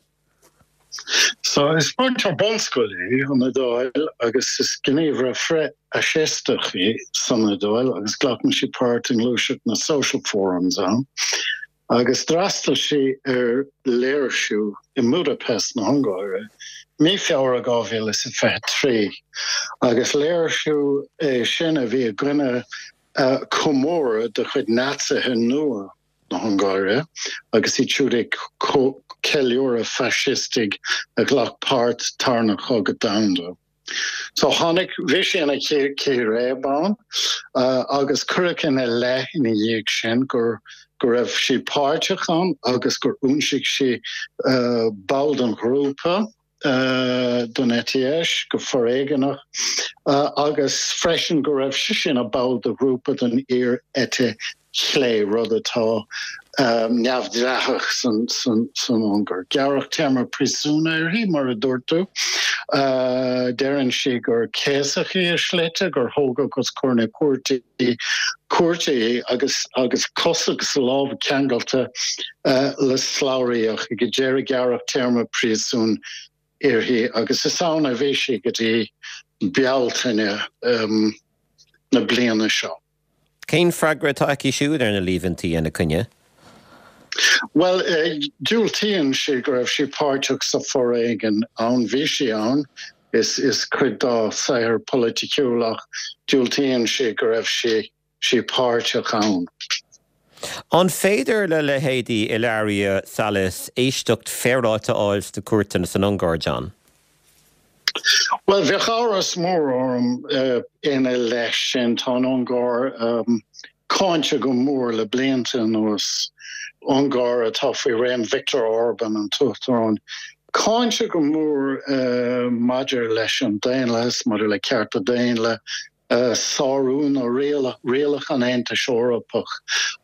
So is múinteoir bunscoile í ón Iodáil agus is gníomhaire frith-fhaisisteach í san Iodáil agus glacann sí páirt i ngluaiseacht na Social Forums ann. Agus d'fhreastail sí ar léirsiú i mBudapest na hUngáire mí Feabhra dhá mhíle is a fiche a trí agus léirsiú é sin a bhí i gcoinne comóradh de chuid Naitsithe nua na hUngáire agus iad siúd ag ceiliúradh faisistigh a ghlac páirt Tarna Chogadh Domhanda. So tháinig, bhí sí ina círéib ann agus cuireadh ina leith ina dhiaidh sin gur go raibh sí páirteach ann agus gur ionsaigh sí ball den ghrúpa don eite dheis go foréigeanach agus freisin go raibh sise ina ball de ghrúpa den fhíor-eite chlé, rud atá neamhdhleathach san Ungáir. Gearradh téarma príosúin uirthi, mar a dúirt tú. Deireann sí gur céasadh í i slite, gur thógadh os comhair na cúirte cúirte í agus agus cosa agus lámha ceangailte le slabhraí ach ag deireadh gearradh téarma príosúin uirthi agus is ann a bhí sí go dtí Bealtaine na bliana seo. Cén freagra atá aici siúd ar na líomhaintí ina coinne? Bhuel, diúltaíonn sí go raibh sí páirteach sa foréigean ann. Bhí sí ann, is is cuid dá saothar polaiticiúil ach diúltaíonn sí go raibh sí sí páirteach ann. An féidir le leithéidí Ilaria Salis éisteacht féaráilte a fháil sna cúirteanna san Ungáir, John? Bhuel, bheadh amhras mór orm ina leith sin. Tá an Ungáir cáinte go mór le blianta anuas, Ungáir atá faoi réim Viktor Orban, an tUachtarán, cáinte go mór maidir leis an daonlathas, maidir le cearta daonna, sárú na rialacha an Aontais Eorpaigh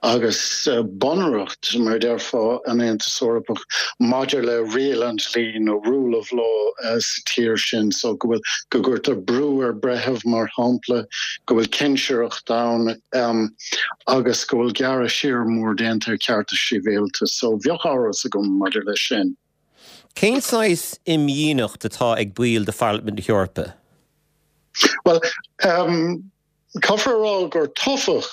agus bunreacht, mar a déarfá, an Aontais Eorpaigh maidir le riail an dlí nó rule of law sa tír sin so go bhfuil, go gcuirtear brú ar bhreithimh, mar shampla, go bhfuil cinsireacht ann agus go bhfuil gearradh siar mór déanta ar chearta sibhialta. So bheadh amhras agam maidir leis sin. Cén saghas imdhíonacht atá ag baill de Pharlaimint na hEorpa? Bhuel, caithfear a rá gur toghadh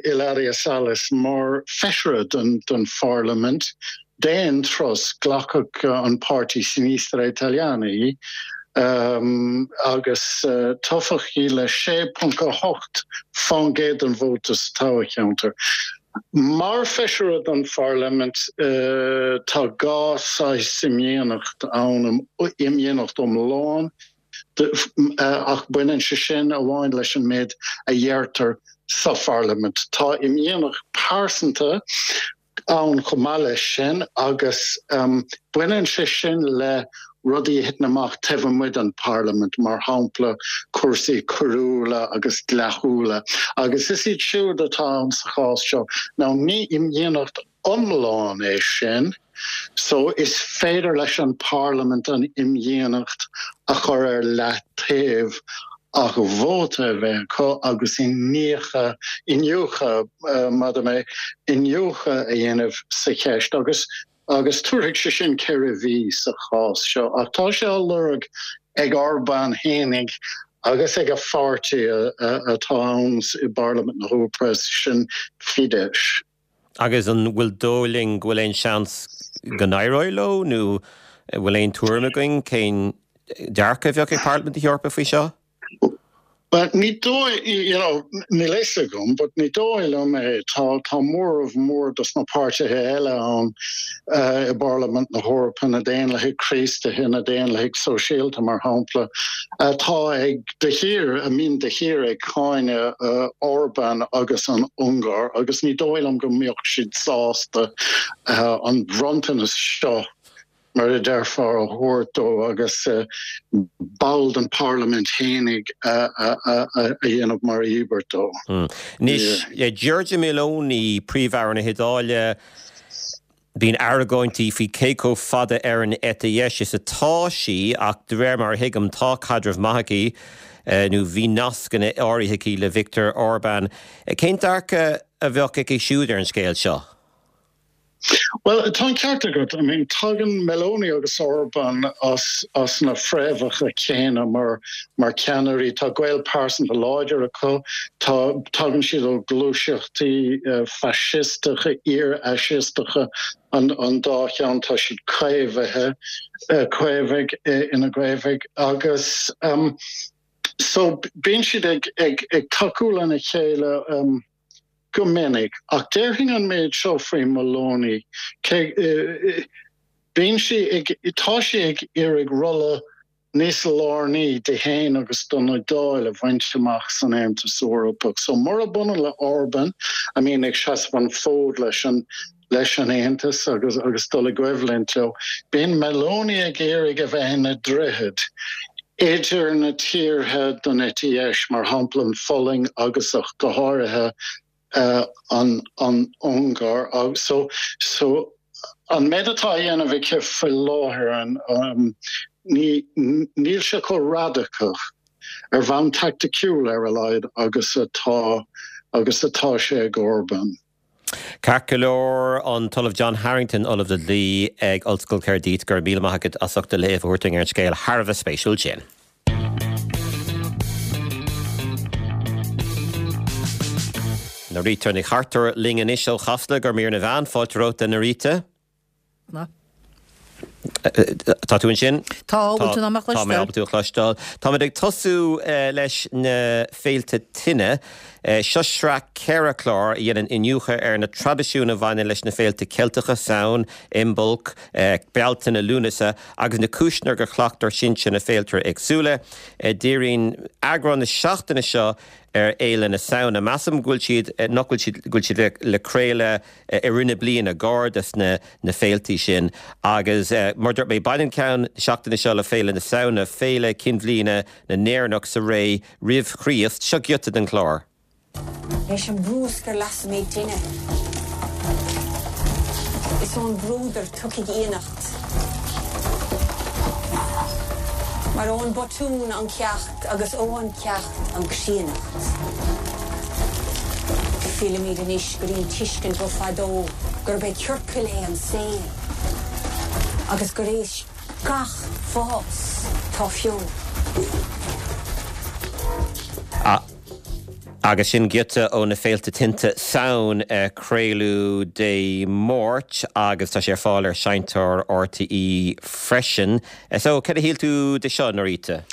Ilaria Salis mar feisire den Pharlaimint d'aon turas, glacadh an páirtí Sinistra Italiana í agus toghadh í le sé ponc a hocht faoin gcéad den vóta sa toghcheantar. Mar feisire don Pharlaimint tá dhá saghas imdhíonacht ann, imdhíonacht iomlán, ach baineann sé sin amháin leis an méid a dheirtear sa Pharlaimint. Tá imdhíonacht pearsanta ann chomh maith leis sin agus baineann sé sin le rudaí a thiteann amach taobh amuigh den Pharlaimint, mar shampla cúrsaí coiriúla agus dleathúla, agus is iad siúd atá ann sa chás seo. Now ní imdhíonacht iomlán é sin, so is féidir leis an Parlaimint an imdhíonacht a chur ar leataobh ach vóta a bheith acu agus iniúchadh, iniúchadh, mada mé, iniúchadh a dhéanamh sa cheist agus agus tabharfaidh sé sin ceithre mhí sa chás seo. Ach tá sé á lorg ag Orbán fhéinig agus ag a pháirtí atá ann i bParlaimint na hEorpa, sin Fidesz. Agus an bhfuil dóigh linn go bhfuil aon seans go n-éireoidh leo nó an bhfuil aon tuairim againn cén dearcadh a bheadh ag Parlaimint na hEorpa faoi seo? Bhuel, ní dóigh, you know, níl a fhios agam, but ní dóigh liom é. Tá, tá móramh mór dos na páirtithe eile ann i bParlaimint na hEorpa, na Daonlathaigh Chríostaithe, na Daonlathaigh Sóisialta, mar shampla, atá ag de shíor, a mbíonn de shíor ag cáineadh Orban agus an Ungáir, agus ní dóigh liom go mbeadh siad sásta an bronntanas seo mar a déarfá, a thabhairt dó agus ball den Pharlaimint fhéinig a dhéanamh mar íobairt dó. Anois, Giorgia Meloni, Príomh-Aire na hIodáile, bíonn argóintí faoi cé chomh fada ar an eite dheis is atá sí ach de réir mar a thuigim tá caidreamh maith aici nó bhí nascanna áirithe aici le Viktor Orban. Cén dearcadh a bheadh aici siúd ar an scéal seo? Bhuel, tá an ceart agat. I mean, tagann Meloni agus Orban as as na fréamhacha céanna mar mar cheannairí. Tá gaol pearsanta láidir acu. Tá tagann siad ó ghluaiseachtaí faisisteacha, iar-fhaisisteacha an an dá cheann. Tá siad caomhaithe, caomhaigh ina gcaomhaigh agus so bíonn siad ag ag ag tacú lena chéile. Go minic. Ach déarfainn an méid seo faoi Meloni, cé, bíonn sí ag, tá sí ag iarraidh rolla níos lárnaí di féin agus don Iodáil a bhaint amach san Aontas Eorpach. So murab ionann le Orban, a mbíonn ag seasamh an fód leis an leis an Aontas agus agus dul i gcoimhlint leo, bíonn Meloni ag iarraidh a bheith ina droichead idir na tíortha den eite dheis, mar shampla an Pholainn agus ach go háirithe an an Ungáir. So so an méid atá á dhéanamh aici faoi láthair an ní níl sé chomh radacach ar bhonn taicticiúil ar a laghad agus atá agus atá sé ag Orban. Ceart go leor, an tOllamh John Harrington, Ollamh le Dlí ag Ollscoil Caerdydd, go raibh míle maith agat as ucht do léamh a thabhairt dúinn ar an scéal thar a bheith spéisiúil sin. Norita Nic Chartúir linn anois ó Chasla go mír na mheán. Fáilte romhat a Norita. Tá tú ansin? Tá, bhfuil tú in ann mé a Tá mé chloisteáil? ábalta tú a chloisteáil. Táimid ag tosú leis na féilte tine. Seo sraith ceithre chlár a dhéanann iniúchadh ar na traidisiúin a bhaineann leis na féilte Ceilteacha, Samhain, Imbolc, Bealtaine, Lúnasa, agus na cúiseanna gur chleacht ár sinsir na féilte éagsúla. Díríonn eagrán na seachtaine seo ar Fhéile na Samhna. Measaim go bhfuil siad, nach bhfuil siad, go bhfuil siad le craoladh i rith na bliana, gar dos na na féiltí sin. Agus mar a dúirt mé, baineann ceann na seachtaine seo le Féile na Samhna, féile cinnbhliana na nÉireannach sa ré roimh Chríost. Seo giota den chlár. Leis an brúscar lasaimid tine. Is ón bhfuadar tiocfaidh íonacht. Mar ón botún an ceacht agus ó an ceacht an chríonnacht. Fillimid anois go dtí an tuiscint ó fadó gurb é ciorcal é an saol agus gur éis gach fás tá feo. Agus sin giota ó na Féilte Tinte Samhain a craoladh Dé Máirt agus tá sé ar fáil ar Seinnteoir RTÉ freisin. So, cad a shíl tú de seo, Norita?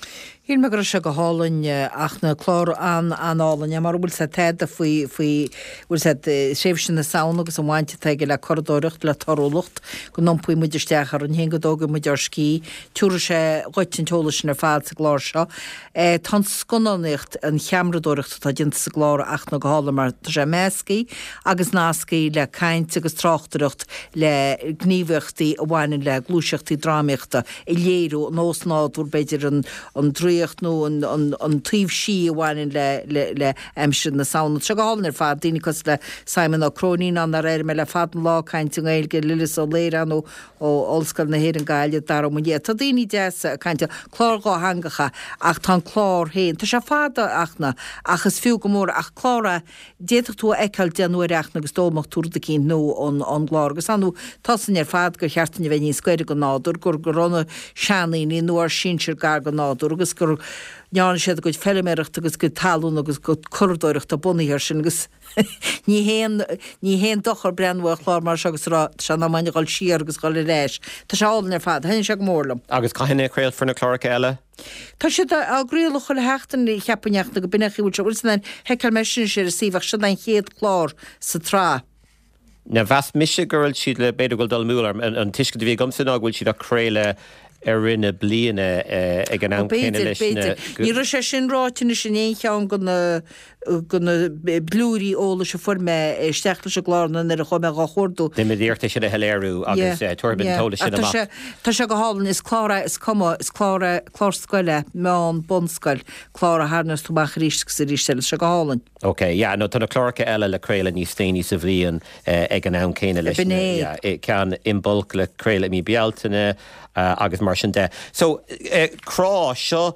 Shíl mé go raibh sé go hálainn ach na clár an-an-álainn é mar bhfuil sé tada faoi faoi bhfuil sé tréimhse na Samhna agus an bhaint atá aige le curadóireacht le torthúlacht go n-iompaíonn muid isteach orainn féin go dtógann muid ár scíth. Tabharfaidh sé dhuit an t-eolas sin ar fad sa gclár seo. Tá an scannánaíocht, an cheamaradóireacht atá déanta sa gclár ach na go hálainn mar tá sé measctha agus nasctha le caint agus tráchtaireacht le gníomhaíochtaí a bhaineann le gluaiseachtaí drámaíochta a léiriú an osnádúr b'fhéidir an an draíocht nó an an an taobh sí a bhaineann le le le aimsir na Samhna. Tá sé go hálainn ar fad, daoine cosúil le Simon Ó Cróinín ann ar éirigh mé le fada an lá ag caint i nGaeilge, Lillis Ó Laoire ann ó ó Ollscoil na hÉireann Gaillimh, Dara Ó Maoildhia. Tá daoine deasa ag caint, clár dhátheangach é ach tá an clár féin, tá sé fada ach na ach is fiú go mór ach clár é d'fhéadfadh tú a fheiceáil deich n-uaire ach agus d'fhoghlaimeodh tú rud eicínt nua ón ón gclár agus ar ndóigh tá a fhios againn ar fad gur cheart dúinn a bheith níos gaire don nádúr, gur go raibh na seandaoine nó ár sinsir gar don nádúr agus go ndearna siad a gcuid feilméarachta agus a gcuid talún agus a gcuid curadóireachta bunaithe air sin agus ní haon ní haon dochar breathnú ar chlár mar seo agus a rá tá sé in am againn a dhul siar agus a dhul ar ais. Tá sé álainn ar fad. Thaitnigh sé go mór liom. Agus cathain a chraolfar na cláracha eile? Tá siad á gcraoladh chuile sheachtain, cheapfainn ach nó go b'in é an chaoi a bhfuil sé. Bhfuil san sheiceáil mé sin anois ar an suíomh ach sin an chéad clár sa tsraith. Now mheas mise go bhfuil siad le, b'fhéidir go bhfuil dul amú orm, an tuiscint a bhí agamsa ná go bhfuil siad á craoladh i rith na bliana ag an am céanna leis na. Ní raibh sé sin ráite anois in aon cheann de na de na blúirí eolais a fuair mé isteach leis an gclár nó nuair a chuaigh mé dhá chuardú. Déanfaimid iarracht é sin a shoiléiriú agus tabharfaimid an t-eolas sin amach. Tá sé go hálainn, is clár é, is cuma, is clár é, clár scoile, meán, bunscoil, clár a tharraingeos tú amach arís agus arís eile, tá sé go hálainn. Ok, yeah, no tá na cláracha eile le craoladh níos déanaí sa bhliain ag an am céanna leis na, yeah, ceann Imbolc le craoladh i mí Bealtaine agus mar sin de. So, Crá, seo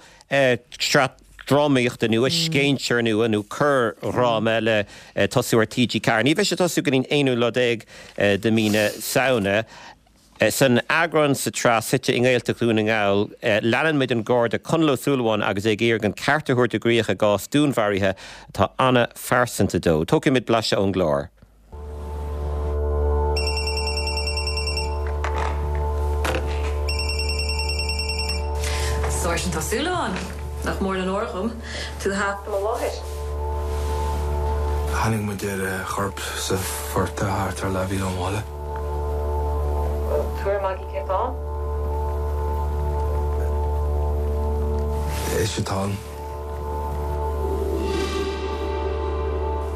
sraith drámaíochta nua, scéinséir nua nó corrdhráma le tosú ar T G ceathair. Ní bheidh sé ag tosú go dtí an aonú lá déag de mí na Samhna. San eagrán sa tsraith suite i nGaeltacht Dhún na nGall, leanann muid an Garda Conall Ó Súilleabháin agus é ag iarraidh an ceart a thabhairt i gcrích i gcás dúnmharaithe atá an-phearsanta dó. Tógfaidh muid blaiseadh ón gclár. Sáirsint Ó Súilleabháin, nach mór an onóir dhom tú a theacht i mo láthair. Tháinig muid ar a chorp sa phortach thart ar leathmhíle ón bhaile. Bhfuil tuairim agaibh cé atá ann? Ise atá ann.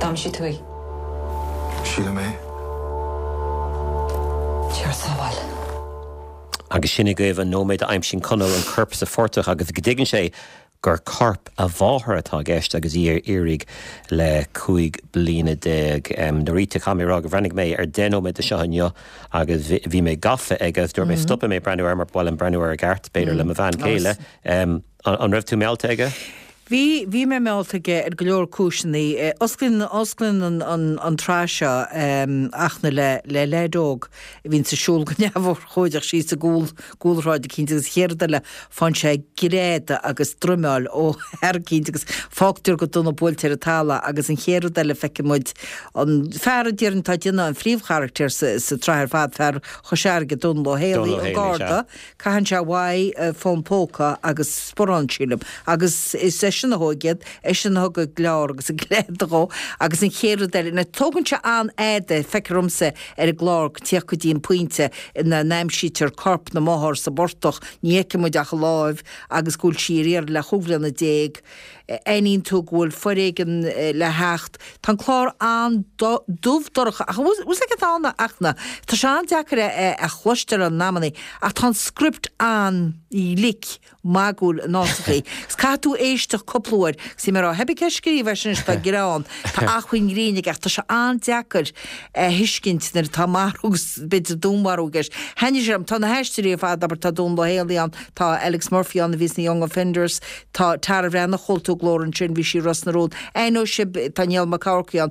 D'aimsigh tú í? Sílim é. Dia ár sábháil. Agus sin agaibh an nóiméad a aimsíonn Conall an corp sa phortach agus go dtuigeann sé gur corp a mháthar atá i gceist agus í ar iarraidh le cúig bliana déag. Norita, caithfidh mé a rá gur bhreathnaigh mé ar deich nóiméad de seo inniu agus bhí mé gafa aige agus dúirt mé stopfaidh mé breathnú air mar ba mhaith liom breathnú air i gceart, b'fhéidir le mo bhean chéile. An raibh tú meallta aige? Bhí, bhí mé meallta aige ar go leor cúiseanna. Osclaíonn, osclaíonn an, an, an tsraith seo Fhachtna le, le leaid óg a bhíonns ag siúl go neamhurchóideach síos i gcúl, gcúlshráid eicínt agus an chéad rud eile faigheann sé greadadh agus droimeáil ó fhear eicínt agus fágtar go dona buailte ar an talamh agus an chéad rud eile feiceann muid an fear a déarfainn atá ag déanamh an phríomhcharachtair sa, sa tsraith ar fad, fear Chois Fharraige, Dónal Ó Dónal Héalaí, Ó an Héalaí, sea. Garda. Caitheann sé uaidh fón póca agus sparán, sílim, agus is eisean a thóg iad, eisean a thug an gleár agus an greadadh dhó agus an chéad rud eile, now tógann sé an-fhada, feictear dhomsa, ar an gclár tíocht go dtí an pointe ina n-aimsítear corp na máthar sa bportach, ní fheiceann muid ach a láimh agus go bhfuil sí ar iarraidh le chúig bhliana déag. Aithníonn tú go bhfuil foréigean le theacht. Tá an clár an-dubh dorcha ach bhfuil fhios agat ann a Fhachtna, tá sé an-deacair a chloisteáil in amannaí ach tá an script an-ghlic, magúil in áiteachaí. Agus caithfidh tú éisteacht cúpla uair. Agus bhí mé ag rá, pé ar bith cé a scríobh é sin anois tá greann, tá acmhainn grinn aige ach tá sé an-deacair a thuiscint nuair atá marú agus b'fhéidir dúnmharú i gceist. Thaitnigh sé liom. Tá na haisteoirí ar fad, abair, tá Dónal Ó Héalaí ann, tá Alex Murphy ann a bhí sna Young Offenders, tá Tara Bhreathnach, chuala tú a glór ansin, bhí sí i Ros na Rún. Aithneoidh sibh, tá Niall Mac Eachmharcaigh ann.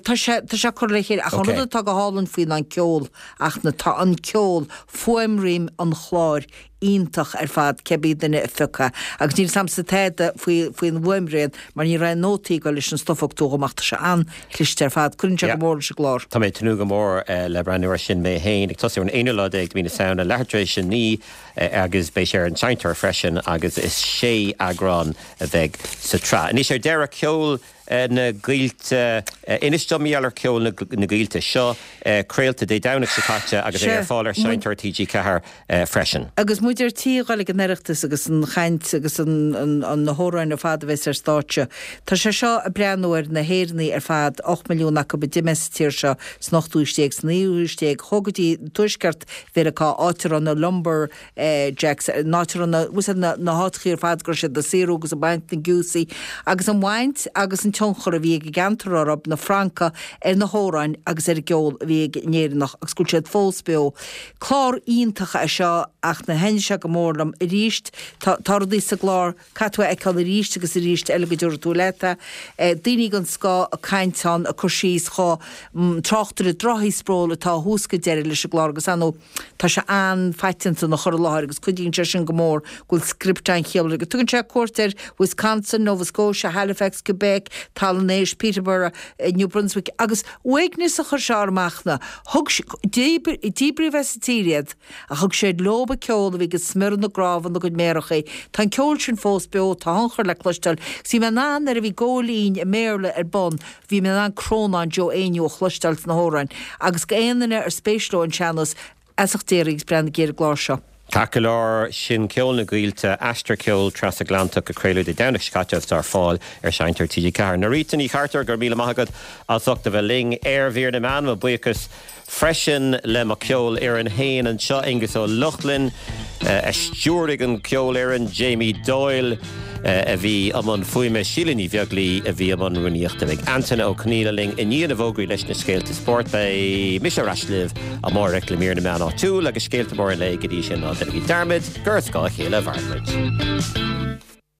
Tá sé, tá sé curtha le chéile ach an rud atá go hálainn faoi ná an ceol ach na, tá an ceol, fuaimrian an chláir iontach ar fad cibé duine a phiocfadh agus níl 's a'msa tada faoi faoin bhfuaimrian mar ní raibh nótaí ag dul leis an stuif a thug tú dhom ach tá sé an-chliste ar fad. Cuireann sé go mór leis an gclár. Tá mé ag tnúth go mór le breathnú air sin mé féin, ag tosú ar an aonú lá déag de mhí na Samhna, leathuair tar éis a naoi agus beidh sé ar an Seinnteoir freisin agus is sé eagrán a bheidh sa tsraith. Anois ar deireadh, ceol na gCoillte. Inis dom mar gheall ar Ceol na gCoillte. Seo craolta Dé Domhnaigh seo caite agus é ar fáil ar Seinnteoir T G ceathair freisin. Agus muid ar tí a dhul ag an Oireachtas agus an chaint agus na hamhráin ar fad a bheas ar stáitse, tá sé seo ag breathnú ar na hÉireannaigh ar fad, ocht milliún acu a d'imigh as an tír seo san ochtú haois déag, sa naoú haois déag, chuaigh go dtí tuaisceart Mheiriceá, áit a raibh na lumber jacks, an áit a raibh na, bhfuil 's a'd, na háiteachaí ar fad go raibh siad ag saothrú agus ag baint na gciúsaí agus an bhaint agus an tionchar a bhí ag an gceantar orthu, na Francaigh, ar na hamhráin agus ar an gceol a bhí ag an Éireannach agus go bhfuil siad fós beo. Clár iontach é seo ach na thaitnigh sé go mór liom arís. Tá tá rudaí sa gclár, caithfidh tú a fheiceáil arís agus arís eile go dtabharfaidh tú leat é. Daoine den scoth ag caint ann, ag cur síos chomh tráchtaire droichí spróil atá ó thús go deireadh leis an gclár agus ar ndóigh tá sé an-phaiteanta ina chur i láthair agus cuidíonn sé sin go mór go bhfuil script an-chiallmhar aige. Tugann sé cuairt ar Wisconsin, Nova Scotia, Halifax, Quebec, Talamh an Éisc, Peterborough, New Brunswick agus uaigneas a chuir sé orm ach na thug díbríodh as an tír iad ach thug siad leob an ceol a bhí ag smiorradh na gcnámh ina gcuid méarachaí. Tá an ceol sin fós beo, tá a thionchar le cloisteáil. Agus bhí mé in ann nuair a bhí góilín i mBéarla ar bun, bhí mé in ann crónán Joe Éinniú a chloisteáil sna hamhráin. Agus go aon duine ar spéis leo an sean-nós, feasacht d'iarraidh agus breathnaigh ar an gclár seo. Ceart go leor, sin Ceol na gCoillte, aistear ceoil trasatlantach a craoladh Dé Domhnaigh seo caite agus atá ar fáil ar Seinnteoir T G ceathair. Norita Ní Chartúir, go raibh míle maith agat as ucht a bheith linn ar Mhír na Meán. Mo bhuíochas freisin le mo cheolfhoireann féin anseo, Aengus Ó Lochlainn a stiúraigh an cheolfhoireann, Jamie Doyle a bhí i mbun fuaime, Síle Ní Bheaglaoí a bhí i mbun rúnaíochta. Beidh Antaine Ó Conghaile linn i ndiaidh na bhfógraí leis na scéalta spóirt. Beidh mise ar ais libh amárach le mír na meán áitiúil agus scéalta móra an lae. Go dtí sin, ná déanaigí dearmad gur as a chéile a mhaireann muid.